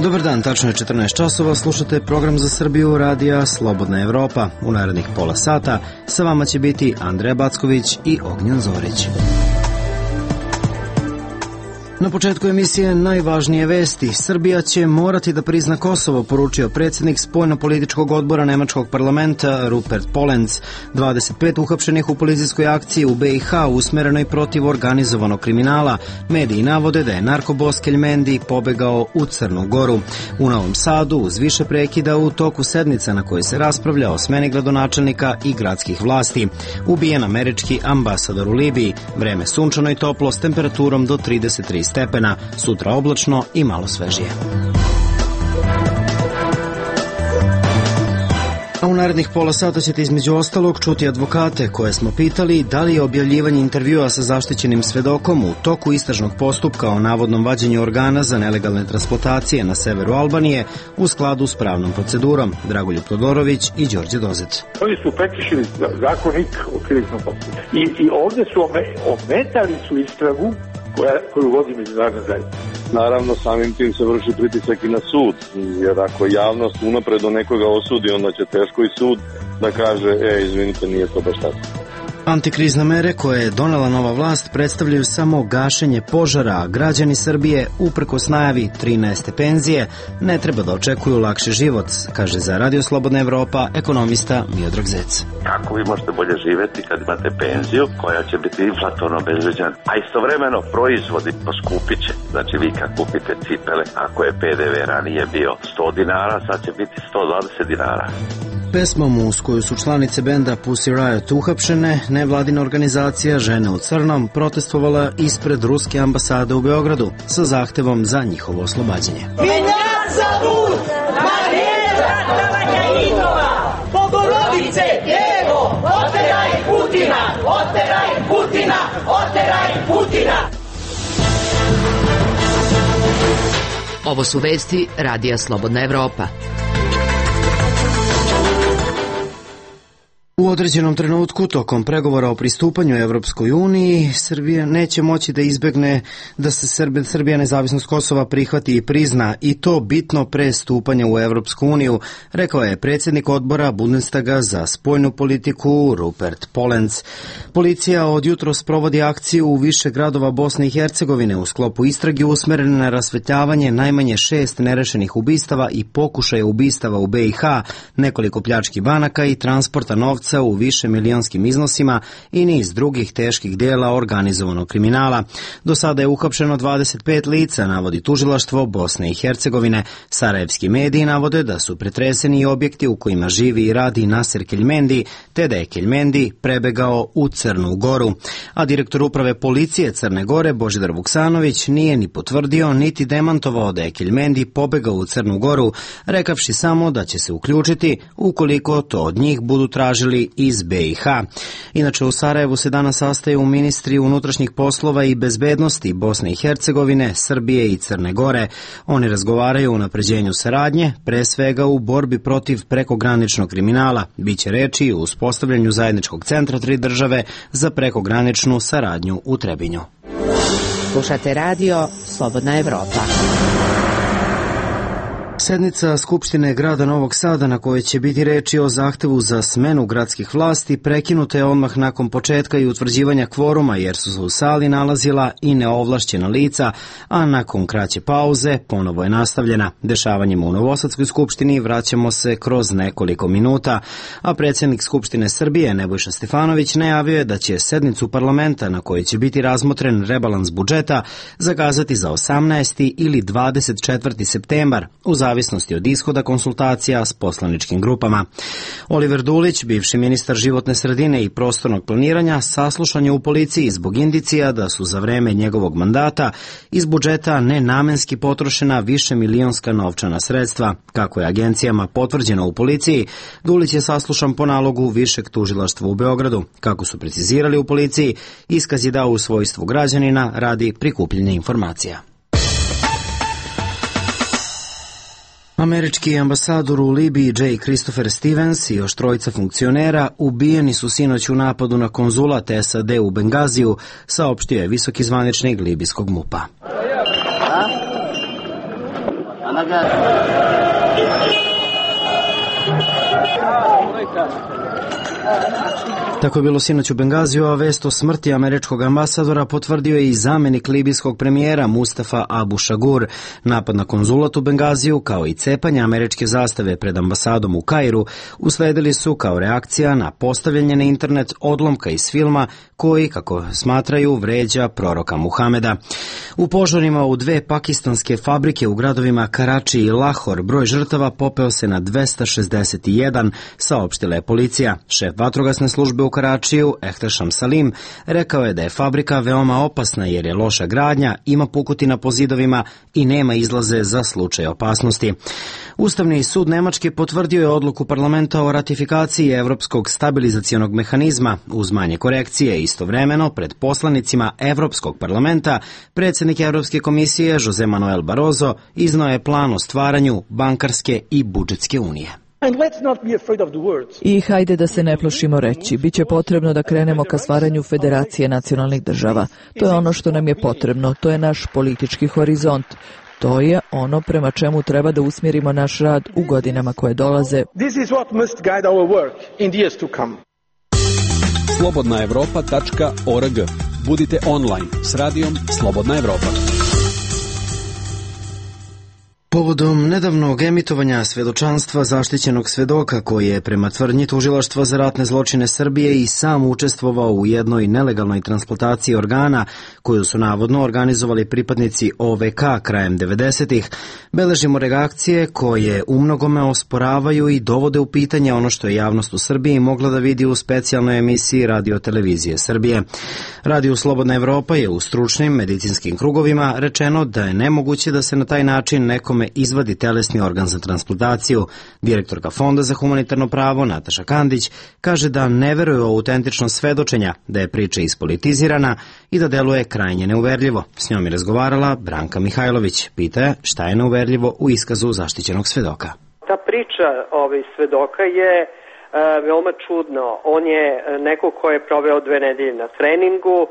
Dobar dan, tačno je 14 časova, slušate program za Srbiju radija Slobodna Evropa. U narednih pola sata sa vama će biti Andreja Backović i Ognjen Zorić. Na početku emisije najvažnije vesti. Srbija će morati da prizna Kosovo, poručio predsjednik spoljno-političkog odbora Nemačkog parlamenta Rupert Polenz. 25 uhapšenih u policijskoj akciji u BiH usmerenoj protiv organizovanog kriminala. Mediji navode da je narkobos Keljmendi pobegao u Crnu Goru. U Novom Sadu uz više prekida u toku sednica na kojoj se raspravlja o smeni gradonačelnika i gradskih vlasti. Ubijen američki ambasador u Libiji. Vreme sunčano i toplo s temperaturom do 33 stepena, sutra oblačno i malo svežije. A u narednih pola sata ćete između ostalog čuti advokate koje smo pitali da li je objavljivanje intervjua sa zaštićenim svedokom u toku istražnog postupka o navodnom vađenju organa za nelegalne transplantacije na severu Albanije u skladu s pravnom procedurom. Dragoljub Todorović i Đorđe Dozet. Oni su prekršili zakonik o krivičnom postupku. I ovdje su ometali su istragu koju vodi međunarodna zajednica. Naravno, samim tim se vrši pritisak i na sud, jer ako javnost unapred do nekoga osudi, onda će teško i sud da kaže, izvinite, nije to baš tako. Antikrizne mere koje je donela nova vlast predstavljaju samo gašenje požara, a građani Srbije, uprkos najavi 13. penzije, ne treba da očekuju lakši život, kaže za Radio Slobodna Evropa ekonomista Miodrag Zec. Kako vi možete bolje živjeti kad imate penziju koja će biti inflatorno obezvređena, a istovremeno proizvodi poskupit će. Znači vi kad kupite cipele, ako je PDV ranije bio 100 dinara, sad će biti 120 dinara. Pesmom uz koju su članice benda Pussy Riot uhapšene, nevladina organizacija Žene u crnom protestovala ispred ruske ambasade u Beogradu sa zahtevom za njihovo oslobađanje. Vinjat zabud, Marija Tavakajinova, Bogorodice, Evo, oteraj Putina, oteraj Putina, oteraj Putina. Ovo su vesti Radija Slobodna Evropa. U određenom trenutku, tokom pregovora o pristupanju Evropskoj uniji, Srbija neće moći da izbegne da se Srbija nezavisnost Kosova prihvati i prizna, i to bitno pre stupanja u Evropsku uniju, rekao je predsjednik odbora Bundestaga za spoljnu politiku Rupert Polenz. Policija od jutros provodi akciju u više gradova Bosne i Hercegovine u sklopu istrage usmerene na rasvetljavanje najmanje 6 nerešenih ubistava i pokušaja ubistava u BiH, nekoliko pljački banaka i transporta novca u više milionskim iznosima i niz drugih teških dela organizovanog kriminala. Do sada je uhapšeno 25 lica, navodi tužilaštvo Bosne i Hercegovine. Sarajevski mediji navode da su pretreseni i objekti u kojima živi i radi Nasir Keljmendi, te da je Keljmendi prebegao u Crnu Goru. A direktor uprave policije Crne Gore Božidar Vuksanović nije ni potvrdio niti demantovao da je Keljmendi pobegao u Crnu Goru, rekavši samo da će se uključiti ukoliko to od njih budu tražili iz BiH. Inače, u Sarajevu se danas sastaju ministri unutrašnjih poslova i bezbednosti Bosne i Hercegovine, Srbije i Crne Gore. Oni razgovaraju o unapređenju saradnje, pre svega u borbi protiv prekograničnog kriminala. Biće reči o uspostavljanju zajedničkog centra 3 države za prekograničnu saradnju u Trebinju. Slušate radio Slobodna Evropa. Sednica Skupštine grada Novog Sada, na kojoj će biti reči o zahtevu za smenu gradskih vlasti, prekinuta je odmah nakon početka i utvrđivanja kvoruma, jer su se u sali nalazila i neovlašćena lica, a nakon kraće pauze ponovo je nastavljena. Dešavanjima u Novosadskoj skupštini vraćamo se kroz nekoliko minuta, a predsjednik Skupštine Srbije Nebojša Stefanović najavio je da će sednicu parlamenta, na kojoj će biti razmotren rebalans budžeta, zakazati za 18. ili 24. septembar, u zavisnosti od ishoda konsultacija s poslaničkim grupama. Oliver Dulić, bivši ministar životne sredine i prostornog planiranja, saslušan je u policiji zbog indicija da su za vreme njegovog mandata iz budžeta nenamenski potrošena višemilionska novčana sredstva. Kako je agencijama potvrđeno u policiji, Dulić je saslušan po nalogu Višeg tužilaštva u Beogradu. Kako su precizirali u policiji, iskaz je dao u svojstvu građanina radi prikupljanja informacija. Američki ambasador u Libiji J. Christopher Stevens i još trojica funkcionera ubijeni su sinoć u napadu na konzulat SAD u Bengaziju, saopštio je visoki zvaničnik libijskog MUP-a. Tako je bilo sinoć u Bengaziju, a vest o smrti američkog ambasadora potvrdio je i zamenik libijskog premijera Mustafa Abu Shagur. Napad na konzulat u Bengaziju, kao i cepanje američke zastave pred ambasadom u Kairu, usledili su kao reakcija na postavljanje na internet odlomka iz filma koji, kako smatraju, vređa proroka Muhameda. U požarima u 2 pakistanske fabrike u gradovima Karači i Lahor broj žrtava popeo se na 261, saopštila je policija. Šef vatrogasne službe u Karačiju, Ehtešam Salim, rekao je da je fabrika veoma opasna jer je loša gradnja, ima pukotina po zidovima i nema izlaze za slučaj opasnosti. Ustavni sud Nemačke potvrdio je odluku parlamenta o ratifikaciji Evropskog stabilizacionog mehanizma uz manje korekcije. Istovremeno, pred poslanicima Evropskog parlamenta, predsjednik Evropske komisije Jose Manuel Barroso iznao je plan o stvaranju bankarske i budžetske unije. I hajde da se ne plašimo reći, biće potrebno da krenemo ka stvaranju federacije nacionalnih država. To je ono što nam je potrebno, to je naš politički horizont. To je ono prema čemu treba da usmjerimo naš rad u godinama koje dolaze. slobodnaevropa.org. Budite online s radijom Slobodna Evropa. Povodom nedavnog emitovanja svedočanstva zaštićenog svedoka koji je prema tvrdnji Tužilaštva za ratne zločine Srbije i sam učestvovao u jednoj nelegalnoj transplantaciji organa koju su navodno organizovali pripadnici OVK krajem 90-ih, beležimo reakcije koje umnogome osporavaju i dovode u pitanje ono što je javnost u Srbiji mogla da vidi u specijalnoj emisiji Radio-televizije Srbije. Radio Slobodna Evropa je u stručnim medicinskim krugovima rečeno da je nemoguće da se na taj način nekome izvadi telesni organ za transplantaciju. Direktorka Fonda za humanitarno pravo Nataša Kandić kaže da ne veruje u autentičnost svedočenja, da je priča ispolitizirana i da deluje krajnje neuverljivo. S njom je razgovarala Branka Mihajlović. Pita je šta je neuverljivo u iskazu zaštićenog svedoka. Ta priča svedoka je veoma čudno. On je neko ko je proveo 2 nedelje na treningu,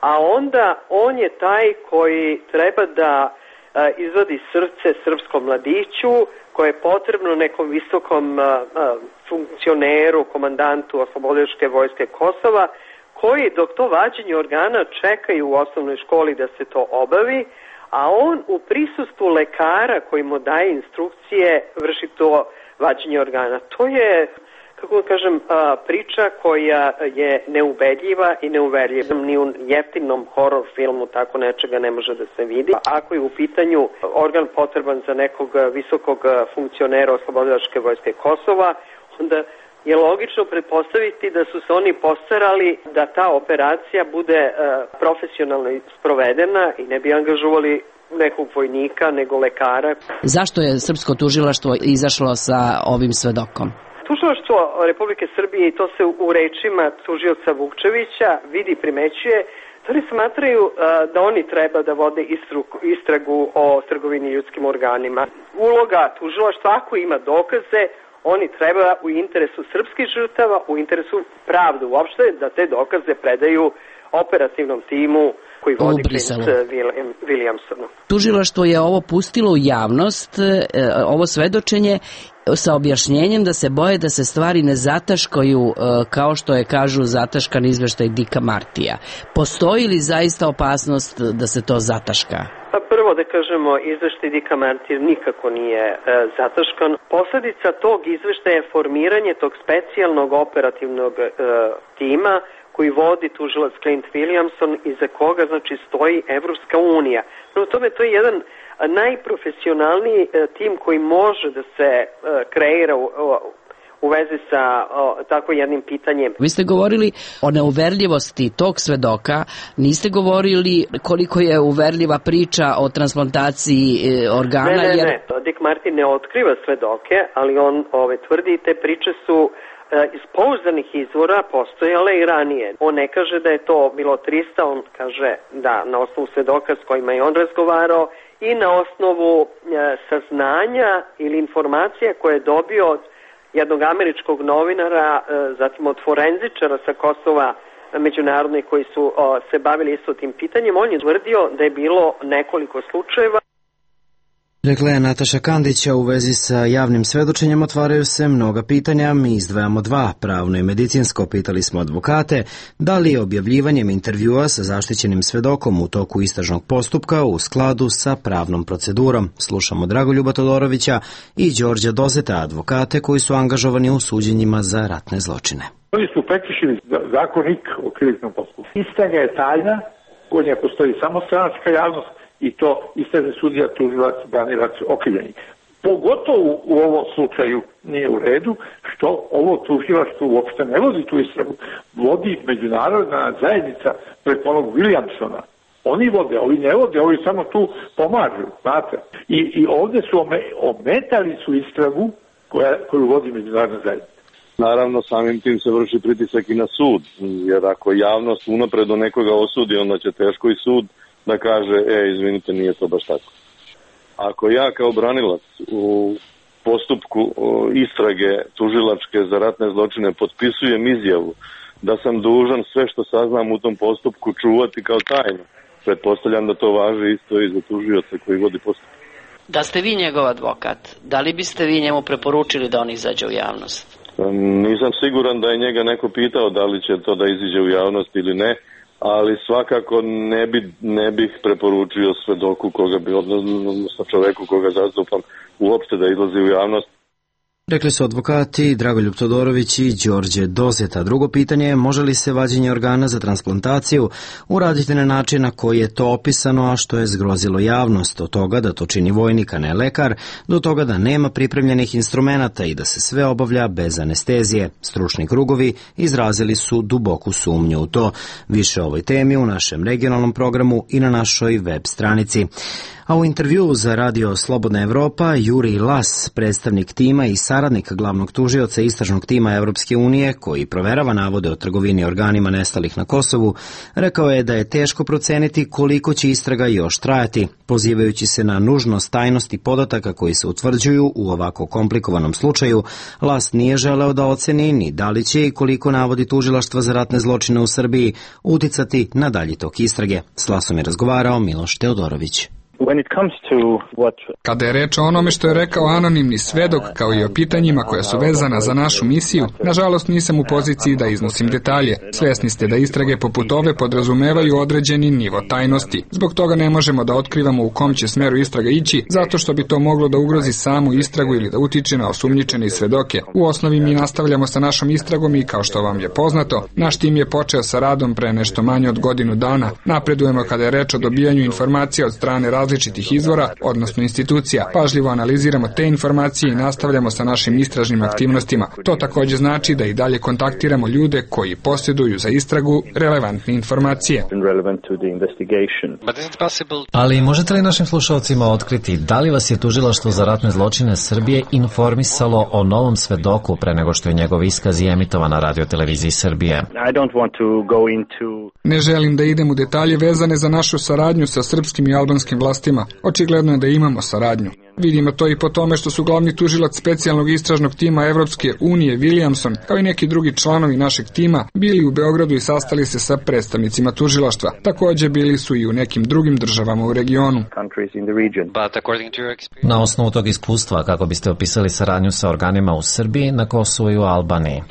a onda on je taj koji treba da izvadi srce srpskom mladiću koje je potrebno nekom visokom funkcioneru, komandantu Oslobodilačke vojske Kosova, koji dok to vađenje organa čekaju u osnovnoj školi da se to obavi, a on u prisustvu lekara koji mu daje instrukcije vrši to vađenje organa. To je, kako kažem, priča koja je neubedljiva i neuverljiva. Ni u jeftinom horor filmu tako nečega ne može da se vidi. Ako je u pitanju organ potreban za nekog visokog funkcionera Oslobodilačke vojske Kosova, onda je logično pretpostaviti da su se oni postarali da ta operacija bude profesionalno sprovedena i ne bi angažovali nekog vojnika nego lekara. Zašto je srpsko tužilaštvo izašlo sa ovim svedokom? Tužilaštvo Republike Srbije, i to se u rečima tužioca Vukčevića vidi, primećuje, da oni smatraju da oni treba da vode istragu o trgovini ljudskim organima. Uloga tužilaštva, ako ima dokaze, oni treba u interesu srpskih žrtava, u interesu pravde uopšte, da te dokaze predaju operativnom timu koji vodi Clint Williamsonu. Tužilaštvo je ovo pustilo u javnost, ovo svedočenje, sa objašnjenjem da se boje da se stvari ne zataškaju kao što je, kažu, zataškan izveštaj Dicka Martija. Postoji li zaista opasnost da se to zataška? Pa prvo da kažemo, izveštaj Dicka Martija nikako nije zataškan. Posledica tog izveštaja je formiranje tog specijalnog operativnog tima koji vodi tužilac Clint Williamson i za koga znači stoji Evropska unija. Prvo tome to je jedan najprofesionalniji tim koji može da se kreira u vezi sa tako jednim pitanjem. Vi ste govorili o neuverljivosti tog svedoka, niste govorili koliko je uverljiva priča o transplantaciji organa? Ne. Dick Martin ne otkriva svedoke, ali on tvrdi te priče su iz pouzdanih izvora postojale i ranije. On ne kaže da je to bilo 300, on kaže da na osnovu svedoka s kojima je on razgovarao i na osnovu saznanja ili informacija koje je dobio od jednog američkog novinara, zatim od forenzičara sa Kosova međunarodnih koji su se bavili isto tim pitanjem. On je tvrdio da je bilo nekoliko slučajeva. Rekla je Nataša Kandića. U vezi sa javnim svedočenjem otvaraju se mnoga pitanja. Mi izdvajamo dva, pravno i medicinsko. Pitali smo advokate da li je objavljivanjem intervjua sa zaštićenim svedokom u toku istražnog postupka u skladu sa pravnom procedurom. Slušamo Dragoljuba Todorovića i Đorđa Dozeta, advokate koji su angažovani u suđenjima za ratne zločine. Oni su prekršili zakonik o krivičnom postupku. Istraga je tajna, kod nje postoji samo stranačka javnost i to istražni sudija, tužilac, branilac, okrivljeni. Pogotovo u ovom slučaju nije u redu što ovo tužilaštvo uopšte ne vodi tu istragu, vodi međunarodna zajednica preko onog Williamsona. Oni vode, ovi ne vode, ovi samo tu pomažu, znate. I ovde su ometali su istragu koju vodi međunarodna zajednica. Naravno, samim tim se vrši pritisak i na sud, jer ako javnost unapred do nekoga osudi, onda će teško i sud da kaže, izvinite, nije to baš tako. Ako ja kao branilac u postupku istrage tužilačke za ratne zločine potpisujem izjavu da sam dužan sve što saznam u tom postupku čuvati kao tajnu, pretpostavljam da to važi isto i za tužioca koji vodi postupak. Da ste vi njegov advokat, da li biste vi njemu preporučili da on izađe u javnost? Nisam siguran da je njega neko pitao da li će to da iziđe u javnost ili ne, ali svakako ne bih preporučio svedoku koga bi, odnosno čoveku koga zastupam, uopšte da izlazi u javnost. Rekli su advokati Dragoljub Todorović i Đorđe Dozeta. Drugo pitanje je može li se vađenje organa za transplantaciju uraditi na način na koji je to opisano, a što je zgrozilo javnost, od toga da to čini vojnik, a ne lekar, do toga da nema pripremljenih instrumenata i da se sve obavlja bez anestezije. Stručni krugovi izrazili su duboku sumnju u to. Više o ovoj temi u našem regionalnom programu i na našoj web stranici. A u intervjuu za radio Slobodna Evropa, Jurij Las, predstavnik tima i saradnik glavnog tužioca istražnog tima Evropske unije, koji proverava navode o trgovini organima nestalih na Kosovu, rekao je da je teško proceniti koliko će istraga još trajati. Pozivajući se na nužnost tajnosti podataka koji se utvrđuju u ovako komplikovanom slučaju, Las nije želeo da oceni ni da li će i koliko navodi tužilaštva za ratne zločine u Srbiji uticati na dalji tok istrage. S Lasom je razgovarao Miloš Teodorović. Kada je reč o onome što je rekao anonimni svedok, kao i o pitanjima koja su vezana za našu misiju, nažalost nisam u poziciji da iznosim detalje. Svesni ste da istrage poput ove podrazumevaju određeni nivo tajnosti. Zbog toga ne možemo da otkrivamo u kom će smeru istraga ići, zato što bi to moglo da ugrozi samu istragu ili da utiče na osumnjičene i svedoke. U osnovi mi nastavljamo sa našom istragom i, kao što vam je poznato, naš tim je počeo sa radom pre nešto manje od godinu dana. Napredujemo kada je reč o dobijanju informacija od strane različitih izvora, odnosno institucija. Pažljivo analiziramo te informacije i nastavljamo sa našim istražnim aktivnostima. To takođe znači da i dalje kontaktiramo ljude koji posjeduju za istragu relevantne informacije. Ali možete li našim slušalcima otkriti da li vas je tužilaštvo za ratne zločine Srbije informisalo o novom svedoku pre nego što je njegov iskaz i emitovan na radioteleviziji Srbije? Ne želim da idem u detalje vezane za našu saradnju sa srpskim i albanskim vlastima. Očigledno je da imamo saradnju. Vidimo to i po tome što su glavni tužilac specijalnog istražnog tima Evropske unije Williamson, kao i neki drugi članovi našeg tima, bili u Beogradu i sastali se sa predstavnicima tužilaštva. Takođe bili su i u nekim drugim državama u regionu. Na osnovu tog iskustva, kako biste opisali saradnju sa organima u Srbiji, na Kosovu i u Albaniji?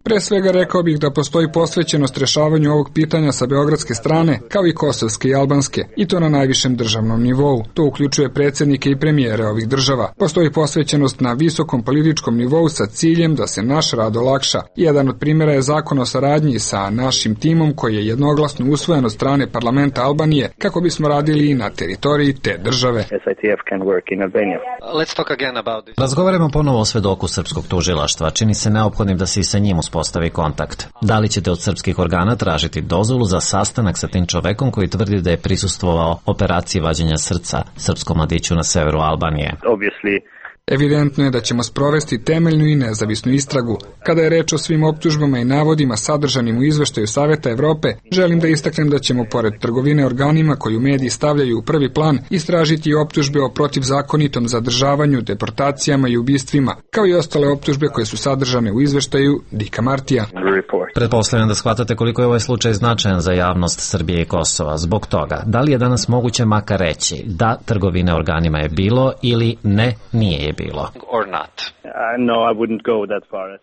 Pre svega rekao bih da postoji posvećenost rešavanju ovog pitanja sa beogradske strane, kao i kosovske i albanske, i to na najvišem državnom nivou. To uključuje predsjednike i premijere ovih država. Postoji posvećenost na visokom političkom nivou sa ciljem da se naš rad olakša. Jedan od primjera je zakon o saradnji sa našim timom koji je jednoglasno usvojen od strane parlamenta Albanije kako bismo radili i na teritoriji te države. Razgovaramo ponovo o svedoku srpskog tužilaštva. Čini se neophodnim da se i sa njim uspostavi kontakt. Da li ćete od srpskih organa tražiti dozvolu za sastanak sa tim čovekom koji tvrdi da je prisustvovao operaciji vađenja srca srpskom mladiću na severu Albanije? Evidentno je da ćemo sprovesti temeljnu i nezavisnu istragu. Kada je reč o svim optužbama i navodima sadržanim u izveštaju Saveta Evrope, želim da istaknem da ćemo, pored trgovine organima koju mediji stavljaju u prvi plan, istražiti i optužbe o protivzakonitom zadržavanju, deportacijama i ubistvima, kao i ostale optužbe koje su sadržane u izveštaju Dicka Martija. Pretpostavljam da shvatate koliko je ovaj slučaj značajan za javnost Srbije i Kosova. Zbog toga, da li je danas moguće makar reći da trgovine organima je bilo ili ne, nije je bilo?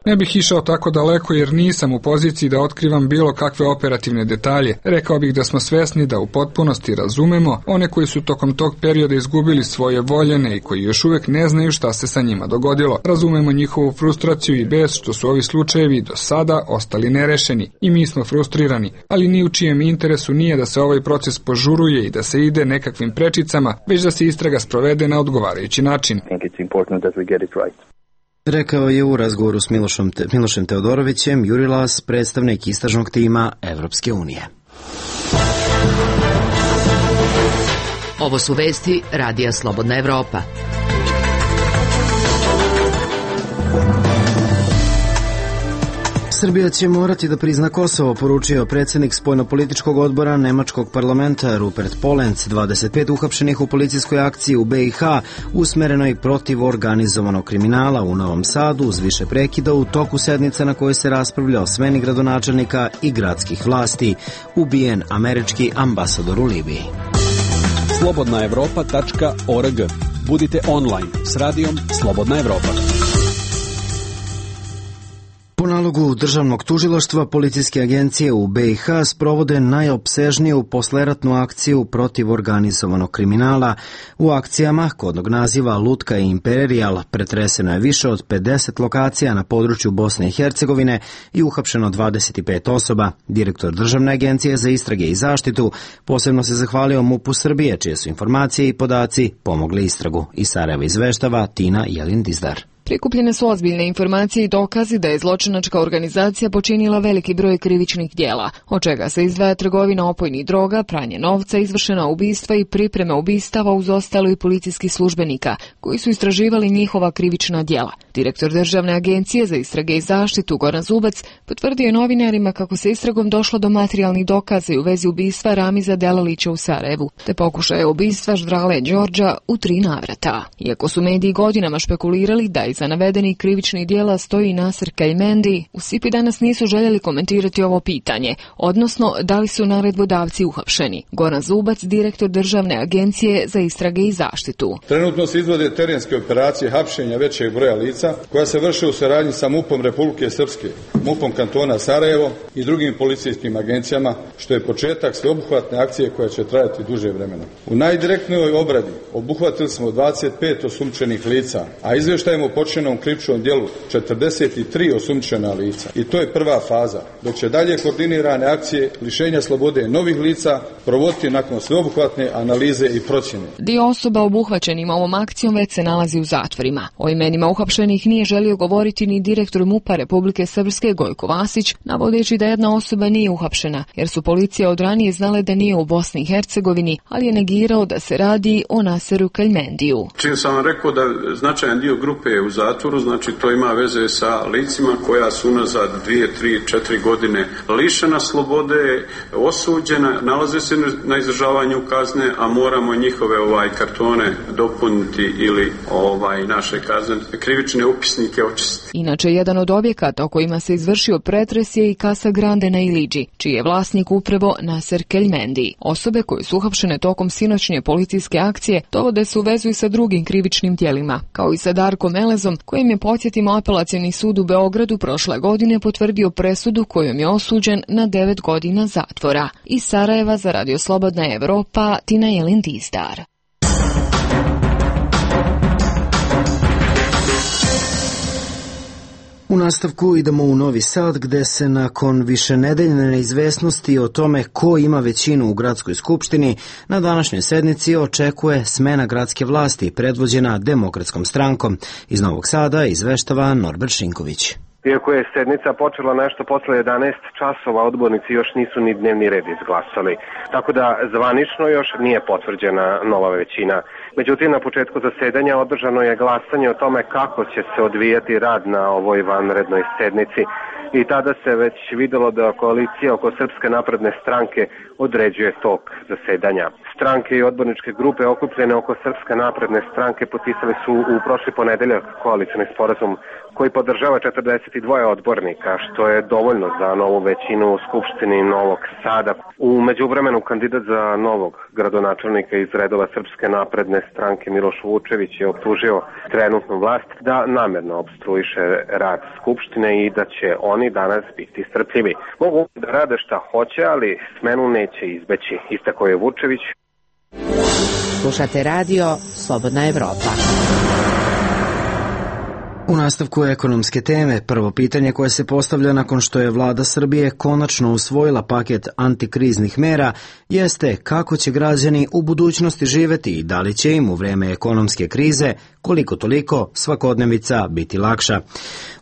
Ne bih išao tako daleko jer nisam u poziciji da otkrivam bilo kakve operativne detalje. Rekao bih da smo svesni da u potpunosti razumemo one koji su tokom tog perioda izgubili svoje voljene i koji još uvek ne znaju šta se sa njima dogodilo. Razumemo njihovu frustraciju i bes što su ovi slučajevi do sada ostali nerešeni i mi smo frustrirani, ali ni u čijem interesu nije da se ovaj proces požuruje i da se ide nekakvim prečicama, već da se istraga sprovede na odgovarajući način. Rekao je u razgovoru s Milošem Teodorovićem Juri Las, predstavnik istražnog tima Evropske unije. Ovo su vesti Radija Slobodna Evropa. Srbija će morati da prizna Kosovo, poručio predsjednik spoljnopolitičkog odbora Nemačkog parlamenta Rupert Polenc. 25 uhapšenih u policijskoj akciji u BiH usmerenoj protiv organizovanog kriminala u Novom Sadu uz više prekida u toku sednice na kojoj se raspravlja o smeni gradonačelnika i gradskih vlasti. Ubijen američki ambasador u Libiji. Slobodnaevropa.org. Budite online s radijom Slobodna Evropa. Po nalogu državnog tužilaštva, policijske agencije u BiH sprovode najopsežniju posleratnu akciju protiv organizovanog kriminala. U akcijama, kodnog naziva Lutka i Imperijal, pretreseno je više od 50 lokacija na području Bosne i Hercegovine i uhapšeno 25 osoba. Direktor Državne agencije za istrage i zaštitu posebno se zahvalio MUP-u Srbije, čije su informacije i podaci pomogli istragu. Iz Sarajeva izveštava Tina Jelin-Dizdar. Prikupljene su ozbiljne informacije i dokazi da je zločinačka organizacija počinila veliki broj krivičnih djela, od čega se izdvaja trgovina opojnih droga, pranje novca, izvršena ubistva i pripreme ubistava uz ostalo i policijskih službenika, koji su istraživali njihova krivična djela. Direktor Državne agencije za istrage i zaštitu Goran Zubac potvrdio je novinarima kako se istragom došlo do materijalnih dokaza i u vezi ubistva Ramiza Delalića u Sarajevu, te pokušaja ubistva Ždrale Đorđa u 3 navrata. Iako su mediji godinama špekulirali da iza navedenih krivičnih djela stoji Naser Kajmendi, u SIP-i danas nisu željeli komentirati ovo pitanje, odnosno da li su naredbodavci uhapšeni. Goran Zubac, direktor Državne agencije za istrage i zaštitu. Trenutno se izvode terenske operacije hapšenja većeg broja lica koja se vrše u saradnji sa MUP-om Republike Srpske, MUP-om kantona Sarajevo i drugim policijskim agencijama, što je početak sveobuhvatne akcije koja će trajati duže vremena. U najdirektnijoj obradi obuhvatili smo 25 osumnjičenih lica, a izvještajemo počinjenom krivičnom djelu 43 osumnjičena lica. I to je prva faza, dok će dalje koordinirane akcije lišenja slobode novih lica provoditi nakon sveobuhvatne analize i procjene. Dio osoba obuhvaćenim ovom akcijom već se nalazi u zatvorima. O imenima uhapšenih nije želio govoriti ni direktor MUP-a Republike Srpske Gojko Vasić, navodeći da jedna osoba nije uhapšena, jer su policija od ranije znale da nije u Bosni i Hercegovini, ali je negirao da se radi o Naseru Kajmendiju. Čim sam vam rekao da značajan dio grupe je u zatvoru, znači to ima veze sa licima koja su unazad 2, 3, 4 godine lišena slobode, osuđena, nalaze se na izdržavanju kazne, a moramo njihove kartone dopuniti ili naše kazne, krivične upisnike očistiti. Inače, jedan od objekata o kojima se izvršio pretres je i Casa Grande na Iliđi, čiji je vlasnik upravo Naser Kajmendi. Osobe koje su uhapšene tokom sinoćnje policijske akcije dovode se u vezu i sa drugim krivičnim djelima, kao i sa Darkom Elezom, kojim je, podsjetimo, Apelacioni sud u Beogradu prošle godine potvrdio presudu kojom je osuđen na 9 godina zatvora. Iz Sarajeva za Radio Slobodna Evropa, Tina Jelin-Dizdar. U nastavku idemo u Novi Sad, gde se nakon višenedeljne neizvesnosti o tome ko ima većinu u gradskoj skupštini, na današnjoj sednici očekuje smena gradske vlasti predvođena Demokratskom strankom. Iz Novog Sada izveštava Norbert Šinković. Iako je sednica počela nešto posle 11 časova, odbornici još nisu ni dnevni red izglasali. Tako da zvanično još nije potvrđena nova većina. Međutim, na početku zasedanja održano je glasanje o tome kako će se odvijati rad na ovoj vanrednoj sednici. I tada se već videlo da koalicija oko Srpske napredne stranke određuje tok zasedanja. stranke i odborničke grupe okupljene oko Srpske napredne stranke potpisali su u prošli ponedeljak koalicioni sporazum koji podržava 42 odbornika, što je dovoljno za novu većinu u Skupštini Novog Sada. U međuvremenu kandidat za novog gradonačelnika iz redova Srpske napredne stranke Miloš Vučević je optužio trenutnu vlast da namerno opstruiše rad Skupštine i da će oni danas biti strpljivi. Mogu da rade šta hoće, ali smenu neće izbeći, istakao je Vučević. Slušate radio Slobodna Evropa. U nastavku ekonomske teme, prvo pitanje koje se postavlja nakon što je vlada Srbije konačno usvojila paket antikriznih mera jeste kako će građani u budućnosti živeti i da li će im u vreme ekonomske krize koliko toliko svakodnevica biti lakša.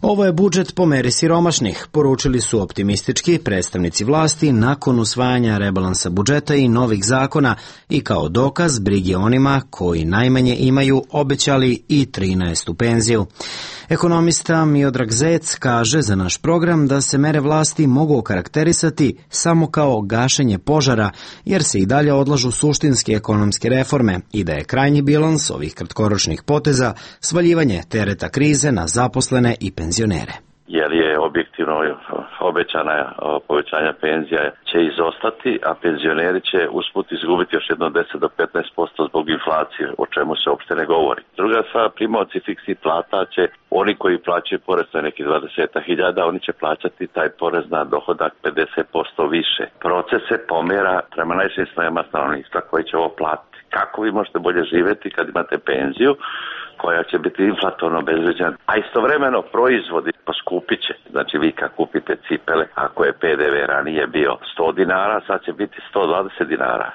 Ovo je budžet po meri siromašnih, poručili su optimistički predstavnici vlasti nakon usvajanja rebalansa budžeta i novih zakona i kao dokaz brige onima koji najmanje imaju obećali i 13. penziju. Ekonomista Miodrag Zec kaže za naš program da se mere vlasti mogu okarakterisati samo kao gašenje požara, jer se i dalje odlažu suštinske ekonomske reforme i da je krajnji bilans ovih kratkoročnih poteza svaljivanje tereta krize na zaposlene i penzionere. Jer je objektivno obećana povećanja penzija će izostati, a penzioneri će usput izgubiti još jedno 10 do 15% zbog inflacije, o čemu se uopšte ne govori. Druga stvar, primaoci fiksnih plata će, oni koji plaćaju porez na neki 20.000, oni će plaćati taj porez na dohodak 50% više. Proces se pomera prema najšim slojevima stanovništva koji će ovo platiti. Kako vi možete bolje živjeti kad imate penziju koja će biti inflatorno obezvređena, a istovremeno proizvodi poskupit će. Znači vi kad kupite cipele, ako je PDV ranije bio 100 dinara, sad će biti 120 dinara.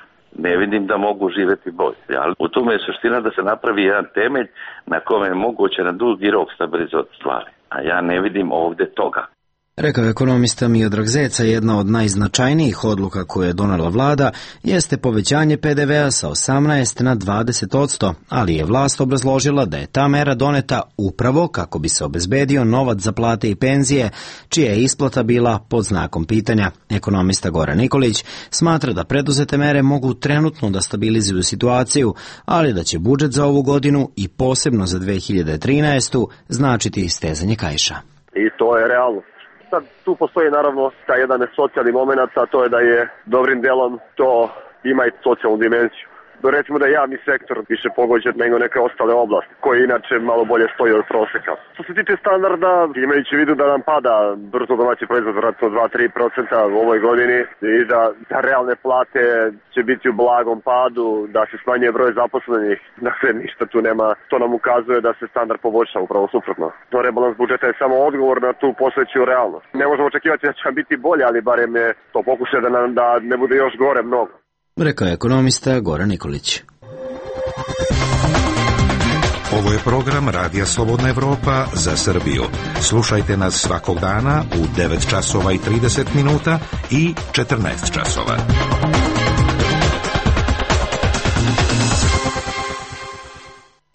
Ne vidim da mogu živjeti bolje. Ali u tome je suština da se napravi jedan temelj na kome je moguće na dugi rok stabilizovati stvari. A ja ne vidim ovdje toga. Rekao je ekonomista Miodrag Zeca, jedna od najznačajnijih odluka koje je donela vlada jeste povećanje PDV-a sa 18 na 20%, ali je vlast obrazložila da je ta mera doneta upravo kako bi se obezbedio novac za plate i penzije, čija je isplata bila pod znakom pitanja. Ekonomista Goran Nikolić smatra da preduzete mere mogu trenutno da stabilizuju situaciju, ali da će budžet za ovu godinu i posebno za 2013. značiti stezanje kaiša. I to je realno. Sad tu postoji naravno taj jedan socijalni moment, a to je da je dobrim delom to ima i socijalnu dimenziju. Recimo da je javni sektor više pogođen nego neke ostale oblasti, koje inače malo bolje stoji od proseka. Što se tiče standarda, imajući u vidu da nam pada bruto domaći proizvod vratno 2-3% u ovoj godini i da realne plate će biti u blagom padu, da se smanjuje broj zaposlenih, dakle ništa tu nema, to nam ukazuje da se standard poboljša, upravo suprotno. To rebalans budžeta je samo odgovor na tu postojeću realnost. Ne možemo očekivati da će nam biti bolje, ali barem je to pokušaj da ne bude još gore mnogo. Rekao je ekonomista Goran Nikolić. Ovo je program Radija Slobodna Evropa za Srbiju. Slušajte nas svakog dana u 9 časova i 30 minuta i 14 časova.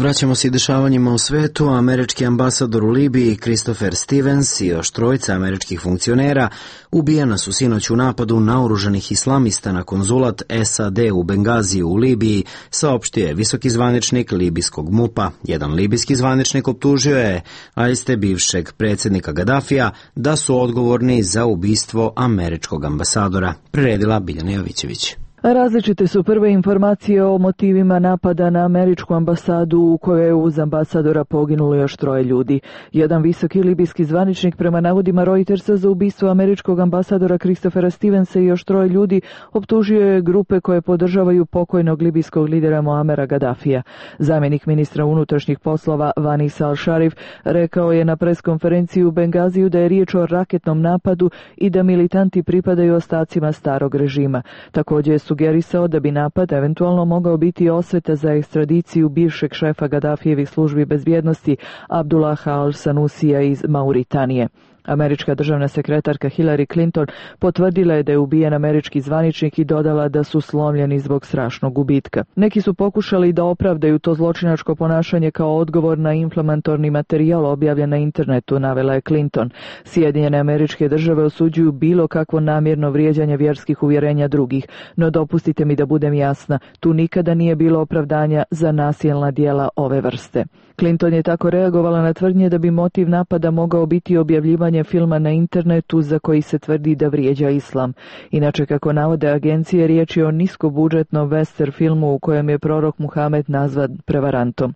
Vraćamo se i dešavanjima u svetu. Američki ambasador u Libiji Christopher Stevens i još trojica američkih funkcionera ubijena su sinoć u napadu naoružanih islamista na konzulat SAD u Bengaziju u Libiji, saopštio je visoki zvaničnik libijskog MUP-a. Jedan libijski zvaničnik optužio je aiste bivšeg predsjednika Gadafija da su odgovorni za ubistvo američkog ambasadora. Priredila Biljana Jovićević. Različite su prve informacije o motivima napada na američku ambasadu u kojoj je uz ambasadora poginulo još 3 ljudi. Jedan visoki libijski zvaničnik prema navodima Reutersa za ubistvo američkog ambasadora Christophera Stevensa i još 3 ljudi optužio je grupe koje podržavaju pokojnog libijskog lidera Muamera Gaddafija. Zamjenik ministra unutrašnjih poslova Vanis Al-Sharif rekao je na preskonferenciji u Bengaziju da je riječ o raketnom napadu i da militanti pripadaju ostacima starog režima. Također je sugerisao da bi napad eventualno mogao biti osveta za ekstradiciju bivšeg šefa Gaddafijevih službi bezbjednosti Abdullaha al-Sanusija iz Mauritanije. Američka državna sekretarka Hillary Clinton potvrdila je da je ubijen američki zvaničnik i dodala da su slomljeni zbog strašnog gubitka. Neki su pokušali da opravdaju to zločinačko ponašanje kao odgovor na inflamatorni materijal objavljen na internetu, navela je Clinton. Sjedinjene Američke Države osuđuju bilo kakvo namjerno vrijeđanje vjerskih uvjerenja drugih, no dopustite mi da budem jasna, tu nikada nije bilo opravdanja za nasilna djela ove vrste. Clinton je tako reagovala na tvrdnje da bi motiv napada mogao biti objavljivanje filma na internetu za koji se tvrdi da vrijeđa islam. Inače, kako navode agencije, riječ je o niskobudžetnom western filmu u kojem je prorok Muhamed nazvan prevarantom.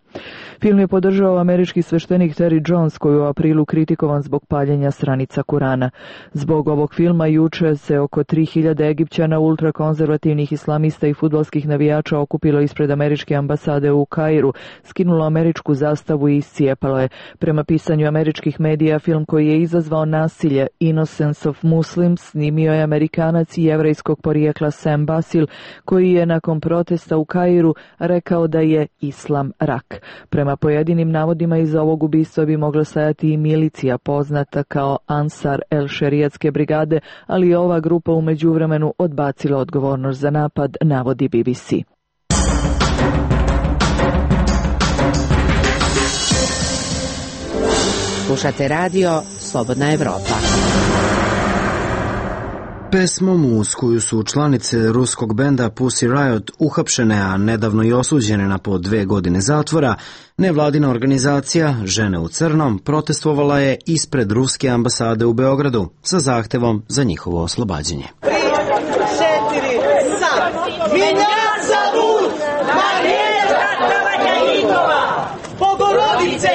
Film je podržao američki sveštenik Terry Jones, koji je u aprilu kritikovan zbog paljenja stranica Kurana. Zbog ovog filma juče se oko 3000 Egipćana, ultrakonzervativnih islamista i fudbalskih navijača okupilo ispred američke ambasade u Kairu, skinulo američku zastavu i iscijepalo je. Prema pisanju američkih medija, film koji je izazvao nasilje, Innocence of Muslims, snimio je Amerikanac i jevrejskog porijekla Sam Basil, koji je nakon protesta u Kairu rekao da je islam rak. Prema pojedinim navodima, iza ovog ubistva bi mogla stajati i milicija poznata kao Ansar el Šerijatske brigade, ali je ova grupa u međuvremenu odbacila odgovornost za napad, navodi BBC. Slušate radio Slobodna Evropa. Pesmom uz koju su članice ruskog benda Pussy Riot uhapšene, a nedavno i osuđene na po 2 godine zatvora, nevladina organizacija Žene u crnom protestvovala je ispred ruske ambasade u Beogradu sa zahtevom za njihovo oslobađanje. 3, 4, sad! Меня зовут Мария Тавакаитова! Bogorodice,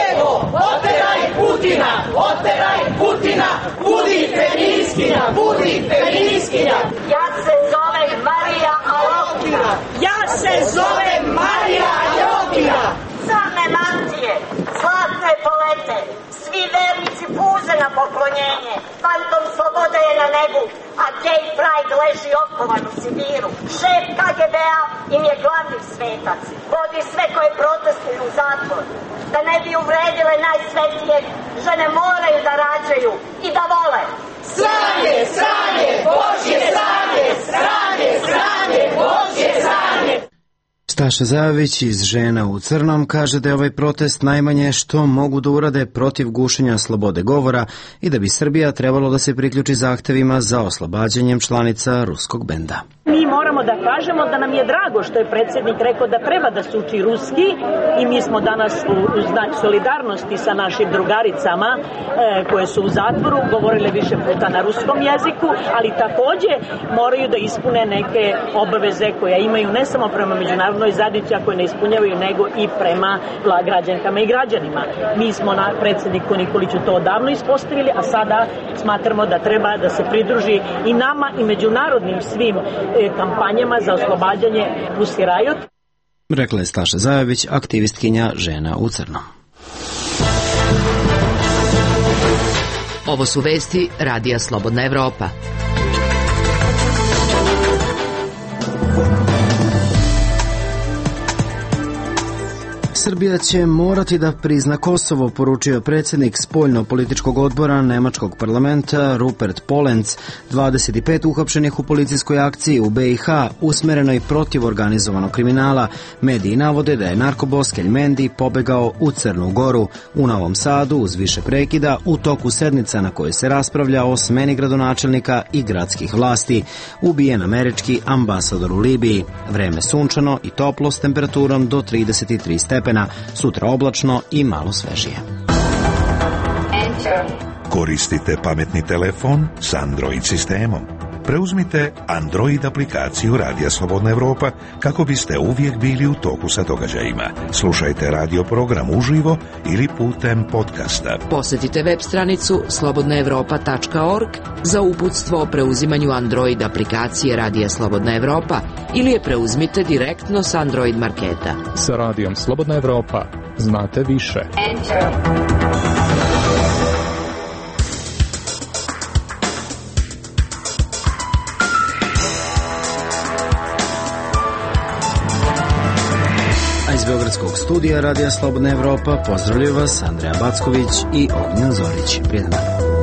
Evo, oteraj Putina! Oteraj Putina! Budi feminiskinja! Budi feminiskinja! Ja se zovem Marija Alokina! Ja se zovem Marija Alokina! Crne mantije, zlatne polete, svi vernici puze na poklonjenje, fantom slobode je na nebu, a gay pride leži okovan u Sibiru. Šef KGB-a im je glavni svetac, vodi sve koje protestuju u zatvor. Da ne bi uvredile najsvetije, žene moraju da rađaju i da vole. Sranje, sranje, Božje sranje, sranje, sranje, Božje sranje. Staša Zajović iz Žena u crnom kaže da je ovaj protest najmanje što mogu da urade protiv gušenja slobode govora i da bi Srbija trebalo da se priključi zahtevima za oslobađanjem članica ruskog benda. Mi moramo da kažemo da nam je drago što je predsjednik rekao da treba da se uči ruski i mi smo danas u znak solidarnosti sa našim drugaricama koje su u zatvoru govorile više puta na ruskom jeziku, ali takođe moraju da ispune neke obaveze koje imaju ne samo prema međunarodnoj zajednici, a koje ne ispunjavaju, nego i prema građankama i građanima. Mi smo na predsjedniku Nikoliću to odavno ispostavili, a sada smatramo da treba da se pridruži i nama i međunarodnim svim kampanjama za oslobađanje Pussy Riot. Rekla je Staša Zajović, aktivistkinja Žena u crnom. Ovo su vesti Radija Slobodna Evropa. Srbija će morati da prizna Kosovo, poručio predsjednik spoljno-političkog odbora Nemačkog parlamenta Rupert Polenz. 25 uhapšenih u policijskoj akciji u BiH usmerenoj protiv organizovanog kriminala. Mediji navode da je narkobos Keljmendi pobegao u Crnu Goru. U Novom Sadu, uz više prekida, u toku sednica na kojoj se raspravlja o smeni gradonačelnika i gradskih vlasti, ubijen američki ambasador u Libiji. Vreme sunčano i toplo s temperaturom do 33 stepena. Sutra oblačno i malo svežije. Koristite pametni telefon s Android sistemom. Preuzmite Android aplikaciju Radija Slobodna Evropa kako biste uvijek bili u toku sa događajima. Slušajte radio program uživo ili putem podcasta. Posjetite web stranicu slobodnaevropa.org za uputstvo o preuzimanju Android aplikacije Radija Slobodna Evropa ili je preuzmite direktno s Android marketa. Sa Radijom Slobodna Evropa znate više. Iz Beogradskog studija Radija Slobodna Evropa pozdravljaju vas Andreja Backović i Ognjen Zorić. Prijedan dan.